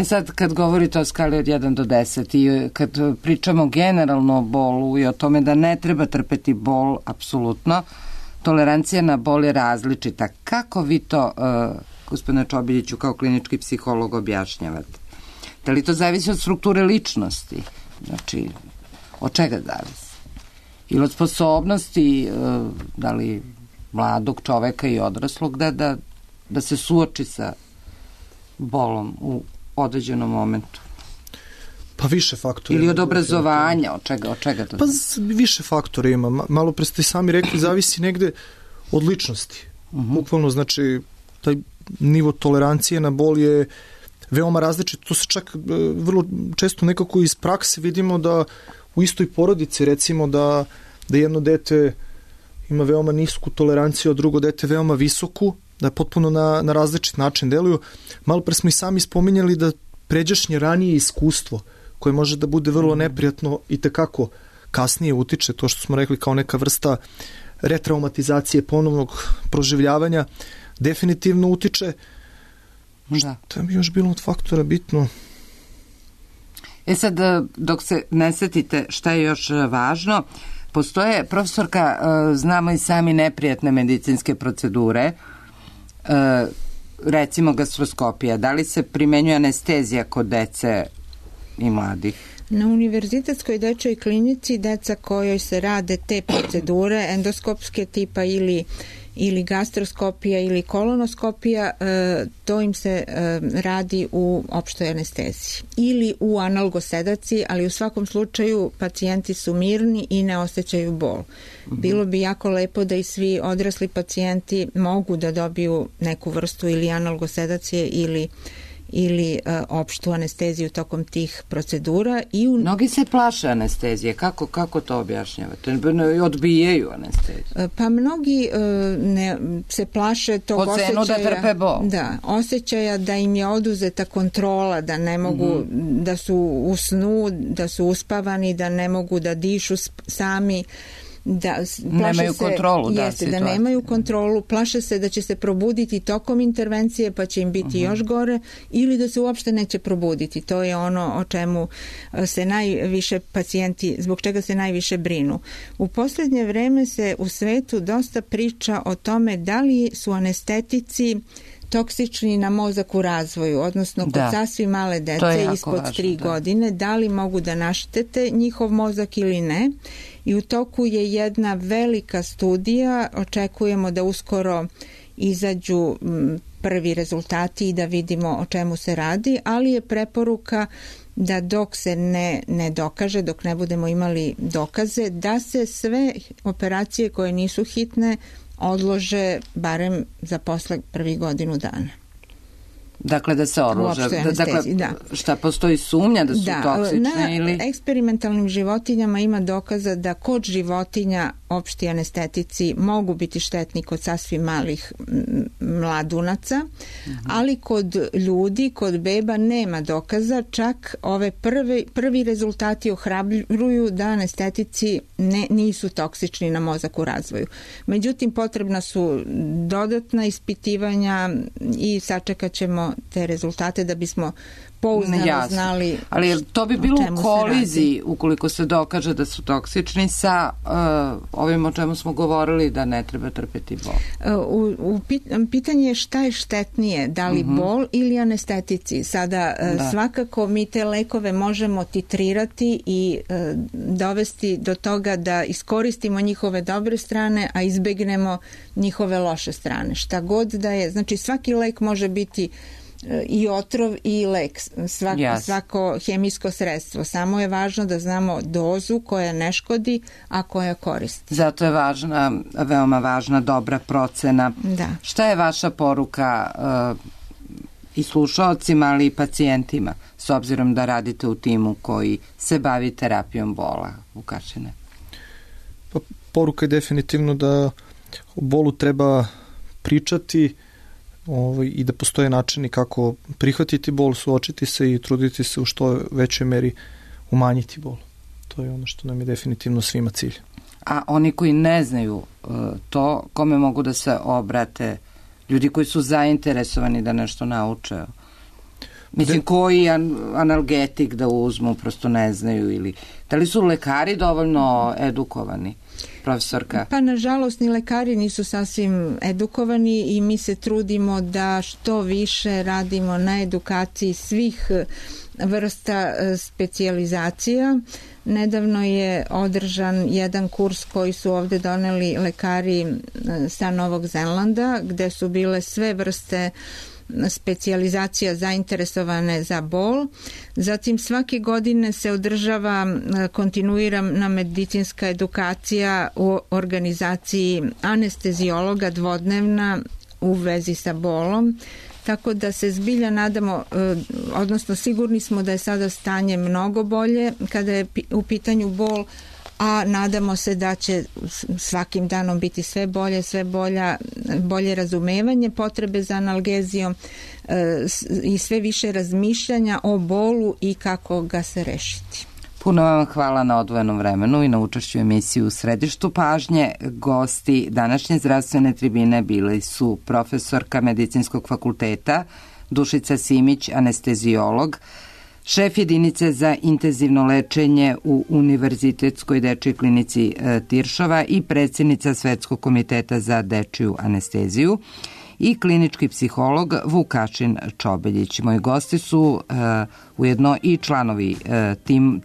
Sad kad govorite o skali od 1 do 10 i kad pričamo generalno o bolu i o tome da ne treba trpeti bol, apsolutno, tolerancija na bol je različita. Kako vi to, gospodine Čobiljiću, kao klinički psiholog objašnjavate? Da li to zavisi od strukture ličnosti? Znači, od čega zavisi? Ili od sposobnosti, da li mladog čoveka i odraslog da se suoči sa bolom u određenom momentu? Pa više faktora. Ili od obrazovanja, od čega to? Pa više faktora ima. Malo pre ste sami rekli, zavisi negde od ličnosti. Bukvalno, znači, taj nivo tolerancije na bol je veoma različit. To se čak vrlo često nekako iz prakse vidimo da u istoj porodici, recimo da jedno dete ima veoma nisku toleranciju, a drugo dete veoma visoku, da potpuno na različit način deluju. Malo pre smo i sami spominjali da pređašnje ranije iskustvo, koje može da bude vrlo neprijatno i tekako kasnije utiče, to što smo rekli kao neka vrsta retraumatizacije, ponovnog proživljavanja, definitivno utiče. Šta bi još bilo od faktora bitno? Sad, dok se ne setite šta je još važno, postoje, profesorka, znamo i sami neprijatne medicinske procedure, recimo gastroskopija. Da li se primenjuje anestezija kod dece i mladih? Na univerzitetskoj dečoj klinici deca kojoj se rade te procedure endoskopske tipa ili gastroskopija ili kolonoskopija, to im se radi u opštoj anesteziji ili u analgosedaciji, ali u svakom slučaju pacijenti su mirni i ne osjećaju bol. Bilo bi jako lepo da i svi odrasli pacijenti mogu da dobiju neku vrstu ili analgosedacije ili opštu anesteziju tokom tih procedura. Mnogi se plaše anestezije. Kako to objašnjavate? Odbijaju anesteziju? Pa mnogi se plaše tog osjećaja da trpe bol. Da, osjećaja da im je oduzeta kontrola, da ne mogu, da su u snu, da su uspavani, da ne mogu da dišu sami, da nemaju kontrolu, da nemaju kontrolu, plaše se da će se probuditi tokom intervencije pa će im biti još gore, ili da se uopšte neće probuditi. To je ono o čemu se najviše pacijenti, zbog čega se najviše brinu. U posljednje vreme se u svetu dosta priča o tome da li su anestetici toksični na mozak u razvoju, odnosno kod sasvim male dece ispod 3 godine, da li mogu da naštete njihov mozak ili ne. I u toku je jedna velika studija, očekujemo da uskoro izađu prvi rezultati i da vidimo o čemu se radi, ali je preporuka da dok se ne dokaže, dok ne budemo imali dokaze, da se sve operacije koje nisu hitne odlože barem za posle prvih godinu dana. Dakle, da se odlože. Dakle, šta postoji sumnja da su toksične ili... Na eksperimentalnim životinjama ima dokaza da kod životinja opšti anestetici mogu biti štetni kod sasvim malih mladunaca, ali kod ljudi, kod beba nema dokaza, čak ove prvi rezultati ohrabruju da anestetici nisu toksični na mozak u razvoju. Međutim, potrebna su dodatna ispitivanja i sačekat ćemo te rezultate da bismo pouzdano znali. Ali to bi bilo u koliziji ukoliko se dokaže da su toksični sa ovim o čemu smo govorili da ne treba trpeti bol. Pitanje je šta je štetnije, da li bol ili anestetici. Sada svakako mi te lekove možemo titrirati i dovesti do toga da iskoristimo njihove dobre strane, a izbegnemo njihove loše strane. Šta god da je, znači svaki lek može biti i otrov i lek, svako hemijsko sredstvo. Samo je važno da znamo dozu koja ne škodi, a koja koristi. Zato je veoma važna dobra procena. Šta je vaša poruka i slušaocima, ali i pacijentima, s obzirom da radite u timu koji se bavi terapijom bola, Vukašine? Poruka je definitivno da o bolu treba pričati i da postoje načini kako prihvatiti bol, suočiti se i truditi se u što većoj meri umanjiti bol. To je ono što nam je definitivno svima cilj. A oni koji ne znaju to, kome mogu da se obrate? Ljudi koji su zainteresovani da nešto nauče? Mislim, koji analgetik da uzmu, prosto ne znaju, ili da li su lekari dovoljno edukovani? Profesorka? Pa nažalost ni lekari nisu sasvim edukovani i mi se trudimo da što više radimo na edukaciji svih vrsta specijalizacija. Nedavno je održan jedan kurs koji su ovde doneli lekari sa Novog Zelanda, gde su bile sve vrste specijalizacija zainteresovane za bol. Zatim svake godine se održava kontinuirana medicinska edukacija u organizaciji anestezijologa dvodnevna u vezi sa bolom. Tako da se zbilja nadamo, odnosno sigurni smo da je sada stanje mnogo bolje kada je u pitanju bol, a nadamo se da će svakim danom biti sve bolje razumevanje potrebe za analgezijom i sve više razmišljanja o bolu i kako ga se rešiti. Puno vam hvala na odvojenom vremenu i na učešću u emisiji U središtu pažnje. Gosti današnje zdravstvene tribine bili su profesorka Medicinskog fakulteta Dušica Simić, anestezijolog, šef jedinice za intenzivno lečenje u Univerzitetskoj dečijoj klinici Tiršova i predsjednica Svetskog komiteta za dečiju anesteziju, i klinički psiholog Vukašin Čobeljić. Moji gosti su ujedno i članovi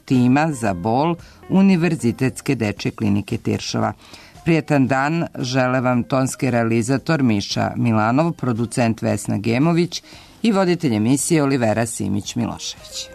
tima za bol Univerzitetske dečije klinike Tiršova. Prijetan dan žele vam tonski realizator Miša Milanov, producent Vesna Gemović i voditelj emisije Olivera Simić-Milošević.